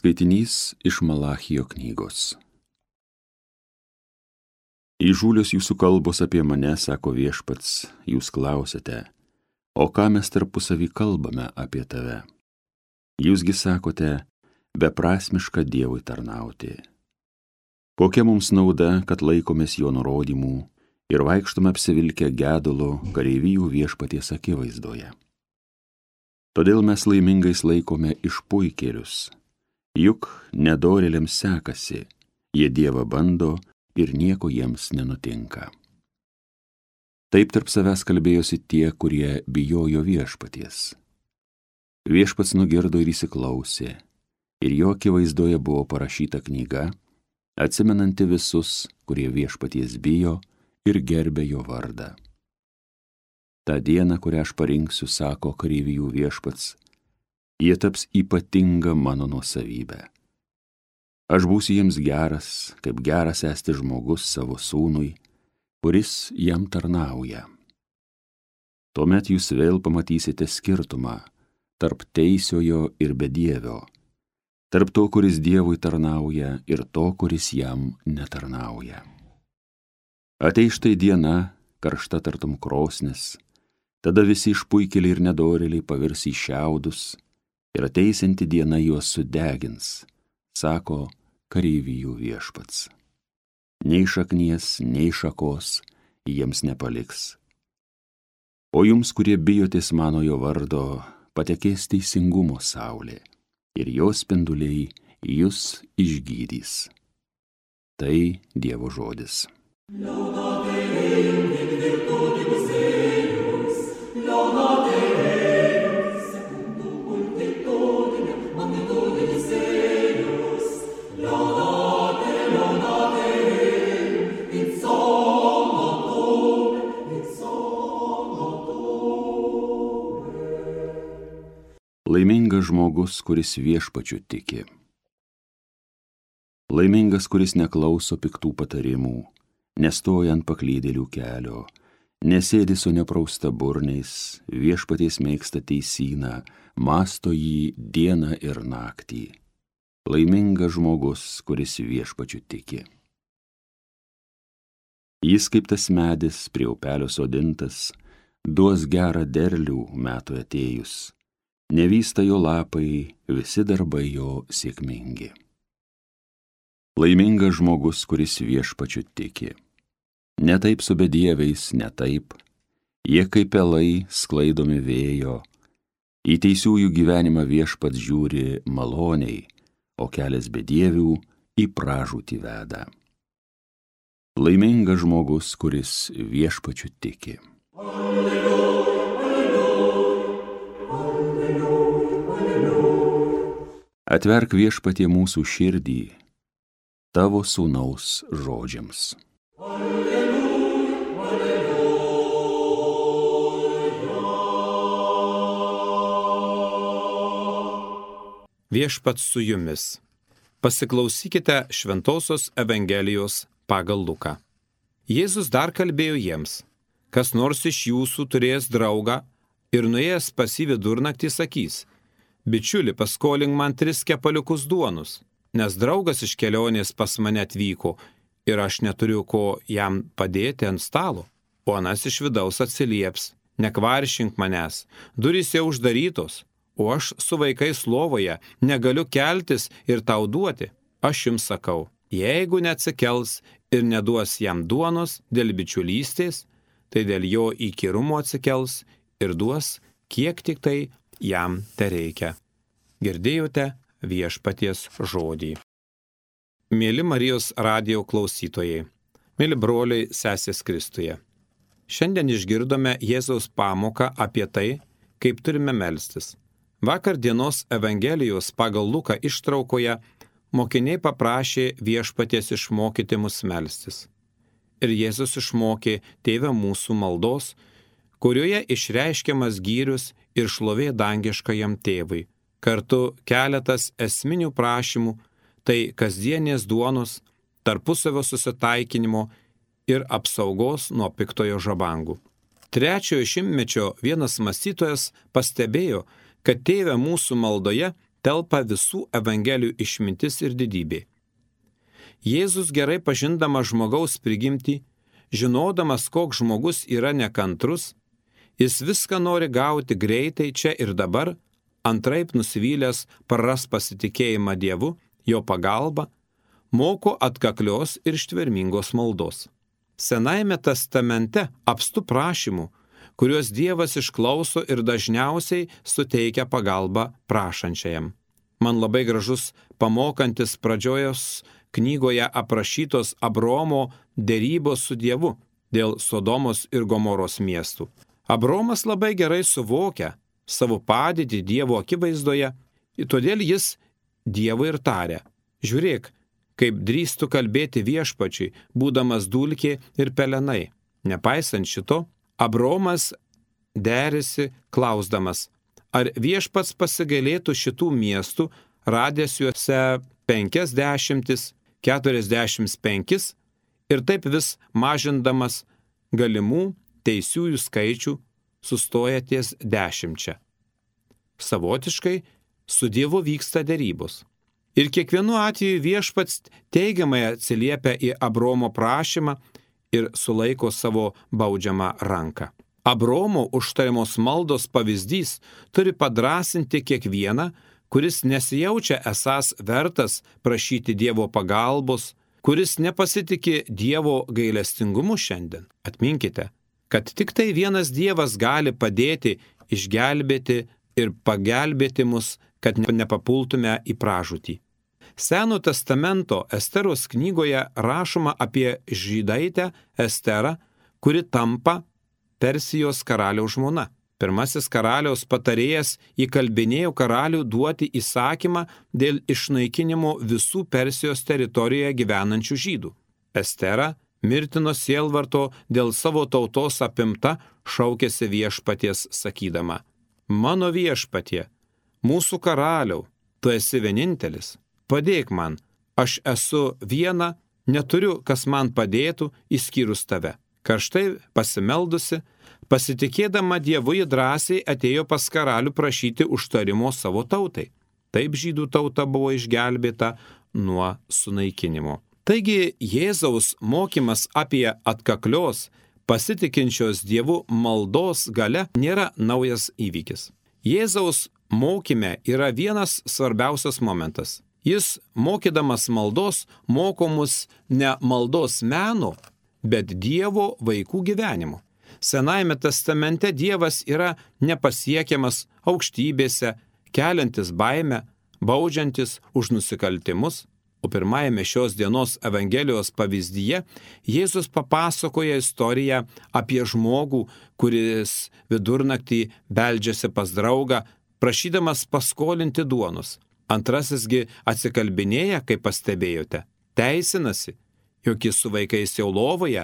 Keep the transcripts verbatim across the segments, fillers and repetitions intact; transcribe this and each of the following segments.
Skaitinys iš Malachijo knygos. Įžūlios jūsų kalbos apie mane, sako Viešpats, jūs klausite, o ką mes tarpusavy kalbame apie tave? Jūsgi sakote, beprasmiška Dievui tarnauti. Kokia mums nauda, kad laikomės jo nurodymų ir vaikštome apsivilkę gedulo kareivijų Viešpaties akivaizdoje? Todėl mes laimingais laikome išpuikėlius. Juk nedorėliams sekasi, jie Dievą bando ir nieko jiems nenutinka. Taip tarp savęs kalbėjosi tie, kurie bijojo Viešpaties. Viešpats nugirdo ir įsiklausė, ir jo akivaizdoje buvo parašyta knyga, atsimenanti visus, kurie Viešpaties bijo ir gerbė jo vardą. Ta diena, kurią aš parinksiu, sako kareivijų Viešpats, jie taps ypatinga mano nuosavybė. Aš būsiu jiems geras, kaip geras esti žmogus savo sūnui, kuris jam tarnauja. Tuomet jūs vėl pamatysite skirtumą tarp teisiojo ir bedievio, tarp to, kuris Dievui tarnauja, ir to, kuris jam netarnauja. Ateis štai diena, karšta tartum krosnis, tada visi išpuikėliai ir nedorėliai pavirs į šiaudus, ir ateisinti diena juos sudegins, sako kareivijų Viešpats. Nei šaknies, nei šakos jiems nepaliks. O jums, kurie bijotės manojo vardo, patekės teisingumo saulė, ir jos spinduliai jus išgydys. Tai Dievo žodis. Laimingas žmogus, kuris Viešpačiu tiki. Laimingas, kuris neklauso piktų patarimų, nestoja ant paklydėlių kelio, nesėdi su neprausta burniais, Viešpaties mėgsta teisyną, mąsto jį dieną ir naktį. Laimingas žmogus, kuris Viešpačiu tiki. Jis kaip tas medis prie upelio sodintas, duos gerą derlių metų atėjus. Nevysta jo lapai, visi darbai jo sėkmingi. Laimingas žmogus, kuris Viešpačiu tiki. Ne taip su bedieviais, ne taip. Jie kaip pelai sklaidomi vėjo. Į teisiųjų gyvenimą Viešpats žiūri maloniai, o kelias bedievių į pražūtį veda. Laimingas žmogus, kuris Viešpačiu tiki. Atverk Viešpatie mūsų širdį, tavo sūnaus žodžiams. Alleluja, alleluja. Viešpats su jumis. Pasiklausykite Šventosios Evangelijos pagal Luką. Jėzus dar kalbėjo jiems, kas nors iš jūsų turės draugą ir nuėjęs pas jį vidurnaktį sakys, bičiuli, paskolink man tris kepaliukus duonus, nes draugas iš kelionės pas mane atvyko ir aš neturiu ko jam padėti ant stalo. O anas iš vidaus atsilieps, nekvaršink manęs, durys jau uždarytos, o aš su vaikais lovoje negaliu keltis ir tau duoti. Aš jums sakau, jeigu neatsikels ir neduos jam duonos dėl bičiulystės, tai dėl jo įkyrumo atsikels ir duos, kiek tik tai jam tereikia. Girdėjote Viešpaties žodį. Mėly Marijos radijo klausytojai, mėly broliai, sesės Kristuje. Šiandien išgirdome Jėzaus pamoką apie tai, kaip turime melstis. Vakar dienos Evangelijos pagal Luką ištraukoje mokiniai paprašė Viešpaties išmokyti mus melstis. Ir Jėzus išmokė Tėve mūsų maldos, kurioje išreiškiamas gyrius ir šlovė dangiškajam Tėvui. Kartu keletas esminių prašymų, tai kasdienės duonos, tarpusavio susitaikinimo ir apsaugos nuo piktojo žabangų. Trečiojo šimtmečio vienas mąstytojas pastebėjo, kad Tėve mūsų maldoje telpa visų evangelijų išmintis ir didybė. Jėzus gerai pažindamas žmogaus prigimtį, žinodamas, koks žmogus yra nekantrus, jis viską nori gauti greitai čia ir dabar, antraip nusivylęs praras pasitikėjimą Dievu, jo pagalba, moko atkaklios ir ištvermingos maldos. Senajame testamente apstu prašymų, kuriuos Dievas išklauso ir dažniausiai suteikia pagalbą prašančiajam. Man labai gražus pamokantis pradžiojos knygoje aprašytos Abromo derybos su Dievu dėl Sodomos ir Gomoros miestų. Abromas labai gerai suvokia savo padėtį Dievo akivaizdoje, todėl jis Dievui ir tarė: žiūrėk, kaip drįstu kalbėti viešpačiui, būdamas dulkė ir pelenai. Nepaisant šito, Abromas derėsi klausdamas, ar viešpats pasigailėtų šitų miestų, radęs juose penkiasdešimtis, keturiasdešimt penkis ir taip vis mažindamas galimų teisiųjų skaičių sustoja ties dešimčia. Savotiškai su Dievu vyksta derybos. Ir kiekvienu atveju viešpats teigiamai atsiliepia į Abromo prašymą ir sulaiko savo baudžiamą ranką. Abromo užtariamos maldos pavyzdys turi padrasinti kiekvieną, kuris nesijaučia esąs vertas prašyti Dievo pagalbos, kuris nepasitikė Dievo gailestingumu šiandien. Atminkite, kad tik tai vienas Dievas gali padėti, išgelbėti ir pagelbėti mus, kad nepapultume į pražūtį. Seno testamento Esteros knygoje rašoma apie žydaitę Esterą, kuri tampa Persijos karaliaus žmona. Pirmasis karaliaus patarėjas įkalbinėjo karalių duoti įsakymą dėl išnaikinimo visų Persijos teritorijoje gyvenančių žydų. Estera, mirtino sielvarto dėl savo tautos apimta, šaukėsi viešpaties sakydama: mano viešpatie, mūsų karaliau, tu esi vienintelis, padėk man, aš esu viena, neturiu, kas man padėtų, išskyrus tave. Karštai pasimeldusi, pasitikėdama Dievu, ji drąsiai atėjo pas karalių prašyti užtarimo savo tautai. Taip žydų tauta buvo išgelbėta nuo sunaikinimo. Taigi Jėzaus mokymas apie atkaklios, pasitikinčios Dievu maldos galia nėra naujas įvykis. Jėzaus mokyme yra vienas svarbiausias momentas. Jis, mokydamas maldos, moko mus ne maldos meno, bet Dievo vaikų gyvenimo. Senajame testamente Dievas yra nepasiekiamas aukštybėse, keliantis baimę, baudžiantis už nusikaltimus, o pirmajame šios dienos Evangelijos pavyzdyje Jėzus papasakoja istoriją apie žmogų, kuris vidurnaktį beldžiasi pas draugą, prašydamas paskolinti duonos. Antrasisgi atsikalbinėja, kaip pastebėjote, teisinasi, jog jis su vaikais jau lovoje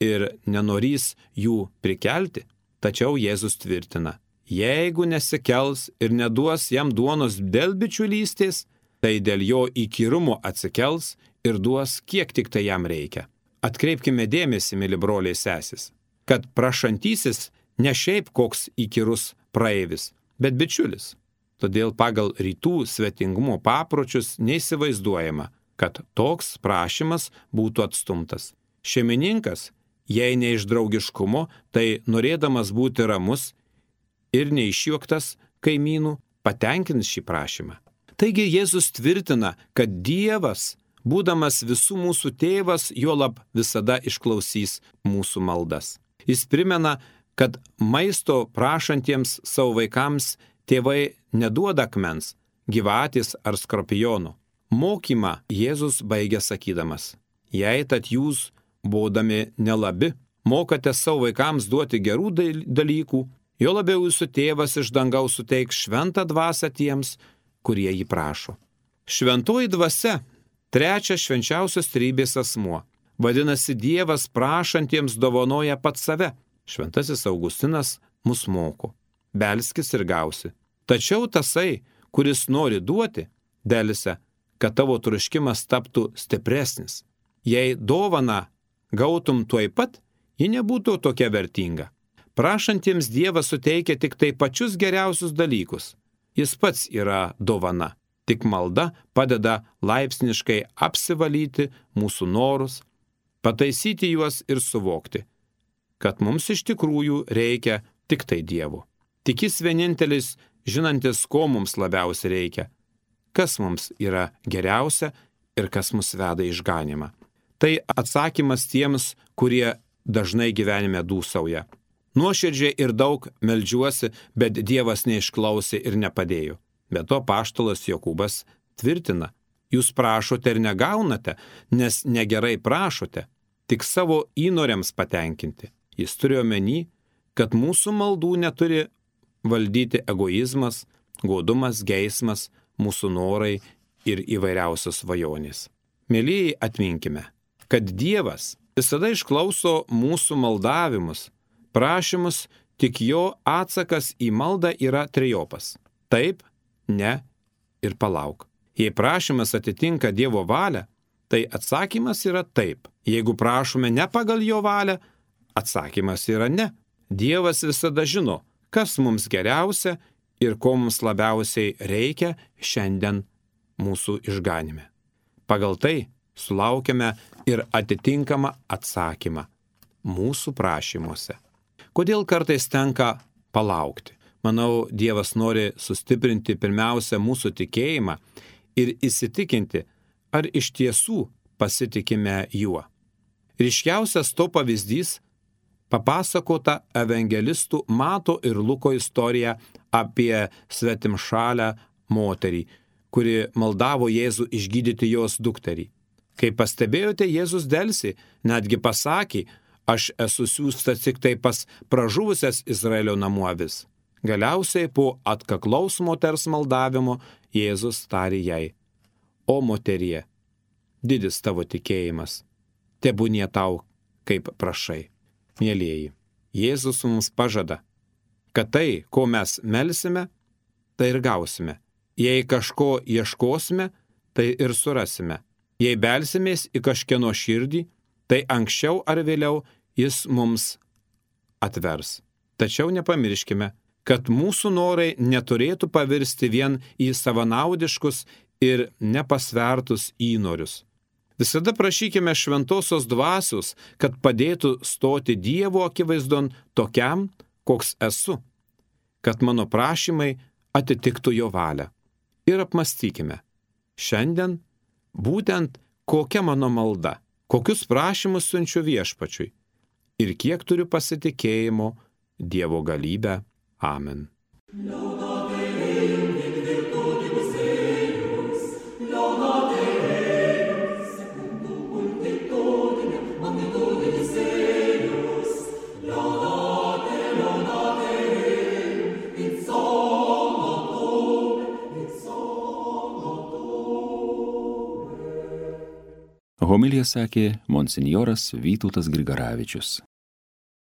ir nenorys jų prikelti. Tačiau Jėzus tvirtina, jeigu nesikels ir neduos jam duonos dėl bičiulystės, tai dėl jo įkyrumo atsikels ir duos, kiek tik tai jam reikia. Atkreipkime dėmesį, mėly broliai sesis, kad prašantysis ne šiaip koks įkyrus praeivis, bet bičiulis. Todėl pagal rytų svetingumo papročius neįsivaizduojama, kad toks prašymas būtų atstumtas. Šeimininkas, jei ne iš draugiškumo, tai norėdamas būti ramus ir neišjuoktas kaimynų, patenkins šį prašymą. Taigi Jėzus tvirtina, kad Dievas, būdamas visų mūsų tėvas, juolab visada išklausys mūsų maldas. Jis primena, kad maisto prašantiems savo vaikams tėvai neduoda akmens, gyvatės ar skorpionų. Mokymą Jėzus baigia sakydamas, jei tad jūs, būdami nelabi, mokate savo vaikams duoti gerų dalykų, jo labiau jūsų tėvas iš dangaus suteiks šventą dvasią tiems, kurie jį prašo. Šventoji dvasia, trečias švenčiausios trejybės asmuo. Vadinasi, Dievas prašantiems dovanoja pats save. Šventasis Augustinas mus moko. Belskis ir gausi. Tačiau tasai, kuris nori duoti, delsia, kad tavo troškimas taptų stipresnis. Jei dovana gautum tuoj pat, ji nebūtų tokia vertinga. Prašantiems Dievas suteikia tik tai pačius geriausius dalykus. Jis pats yra dovana. Tik malda padeda laipsniškai apsivalyti mūsų norus, pataisyti juos ir suvokti, kad mums iš tikrųjų reikia tik tai Dievo. Tik Jis vienintelis, žinantis, ko mums labiausiai reikia, kas mums yra geriausia ir kas mus veda į išganymą. Tai atsakymas tiems, kurie dažnai gyvenime dūsauja. Nuoširdžiai ir daug meldžiuosi, bet Dievas neišklausė ir nepadėjo. Be to apaštalas Jokūbas tvirtina, jūs prašote ir negaunate, nes negerai prašote, tik savo įnoriams patenkinti. Jis turi omeny, kad mūsų maldų neturi valdyti egoizmas, godumas, geismas, mūsų norai ir įvairiausios svajonės. Mielieji, atminkime, kad Dievas visada išklauso mūsų maldavimus, prašymus, tik jo atsakas į maldą yra trejopas. Taip, ne ir palauk. Jei prašymas atitinka Dievo valią, tai atsakymas yra taip. Jeigu prašome ne pagal jo valią, atsakymas yra ne. Dievas visada žino, kas mums geriausia ir ko mums labiausiai reikia šiandien mūsų išganime. Pagal tai sulaukiame ir atitinkamą atsakymą mūsų prašymuose. Kodėl kartais tenka palaukti? Manau, Dievas nori sustiprinti pirmiausia mūsų tikėjimą ir įsitikinti, ar iš tiesų pasitikime juo. Ryškiausias to pavyzdys papasakota evangelistų Mato ir Luko istorija apie svetimšalę moterį, kuri maldavo Jėzų išgydyti jos dukterį. Kai pastebėjote, Jėzus delsi, netgi pasakė, aš esu siųstas tik tai pas pražuvusias Izraelio namų avis. Galiausiai po atkaklaus moters maldavimo Jėzus tarė jai, o moterie, didis tavo tikėjimas, tebūnie tau, kaip prašai. Mielieji, Jėzus mums pažada, kad tai, ko mes melsime, tai ir gausime. Jei kažko ieškosime, tai ir surasime. Jei belsimės į kažkieno širdį, tai anksčiau ar vėliau jis mums atvers. Tačiau nepamirškime, kad mūsų norai neturėtų pavirsti vien į savanaudiškus ir nepasvertus įnorius. Visada prašykime šventosios dvasios, kad padėtų stoti Dievo akivaizdon tokiam, koks esu, kad mano prašymai atitiktų jo valią. Ir apmastykime, šiandien būtent kokia mano malda, kokius prašymus siunčiu viešpačiui ir kiek turiu pasitikėjimo Dievo galybę. Amen. Homiliją sakė monsinjoras Vytautas Grigaravičius.